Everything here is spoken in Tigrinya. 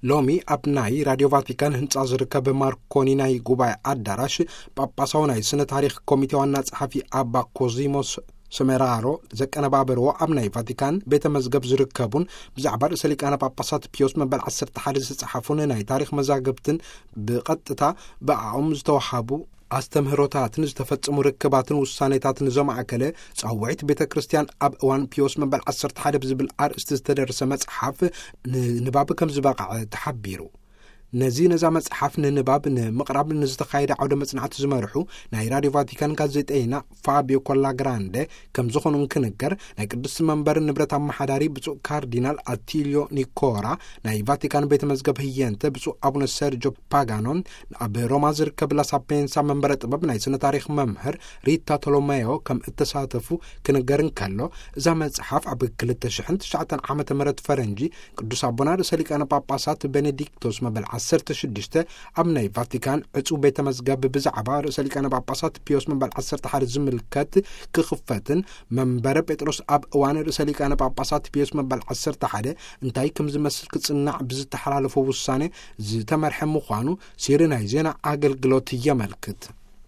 ሎሚ ኣብ ናይ ራድዮ ቫቲካን ህንጻ ዝርከብ ማርኮኒ ናይ ጉባኤ ኣዳራሽ፣ ጳጳሳዊ ናይ ስነ ታሪኽ ኮሚቴ ዋና ጸሓፊ ኣባ ኮዚሞስ ሰሜራሮ ዘቀነባበርዎ፣ ኣብ ናይ ቫቲካን ቤተ መዝገብ ዝርከቡን ብዛዕባ ርእሰ ሊቃነ ጳጳሳት ፒዮስ መበል ዓሰርተ ሓደ ዝተጻሓፉን ናይ ታሪኽ መዛግብትን ብቐጥታ ብኣኦም ዝተዋሃቡ ኣስተምህሮታትን ዝተፈጸሙ ርክባትን ውሳኔታትን ዘማእከለ፣ ጻውዒት ቤተ ክርስቲያን ኣብ እዋን ፒዮስ መበል ዓሰርተ ሓደ ብዝብል ኣርእስቲ ዝተደርሰ መጽሓፍ ንንባብ ከም ዝበቕዐ ተሓቢሩ። ነዚ ነዛ መጽሓፍ ንንባብ ንምቕራብ ንዝተኻየደ ዓውደ መጽናዕቲ ዝመርሑ ናይ ራድዮ ቫቲካን ጋዜጠይና ፋቢዮ ኮላግራንደ ከም ዝኾኑ እንክንገር፣ ናይ ቅዱስ መንበር ንብረት ኣመሓዳሪ ብፁዕ ካርዲናል ኣቲልዮ ኒኮራ፣ ናይ ቫቲካን ቤተ መዝገብ ህየንተ ብፁዕ ኣቡነ ሰርጆ ፓጋኖን፣ ኣብ ሮማ ዝርከብ ላሳፔንሳ መንበረ ጥበብ ናይ ስነ ታሪኽ መምህር ሪታ ቶሎሜዮ ከም እተሳተፉ ክንገር እንከሎ፣ እዛ መጽሓፍ ኣብ ክልተ ሽሕን ትሽዓተን ዓመተ ምህረት ፈረንጂ ቅዱስ ኣቦና ርእሰ ሊቃነ ጳጳሳት ቤኔዲክቶስ መበል ዓሰርተ ሽዱሽተ ኣብ ናይ ቫቲካን ዕጹው ቤተ መዝገብ ብዛዕባ ርእሰ ሊቃነ ጳጳሳት ፒዮስ መበል ዓሰርተ ሓደ ዝምልከት ክኽፈትን፣ መንበረ ጴጥሮስ ኣብ እዋን ርእሰ ሊቃነ ጳጳሳት ፒዮስ መበል ዓሰርተ ሓደ እንታይ ከም ዝመስል ክጽናዕ ብዝተሓላለፎ ውሳኔ ዝተመርሐ ምዃኑ ሲሪ ናይ ዜና ኣገልግሎት የመልክት።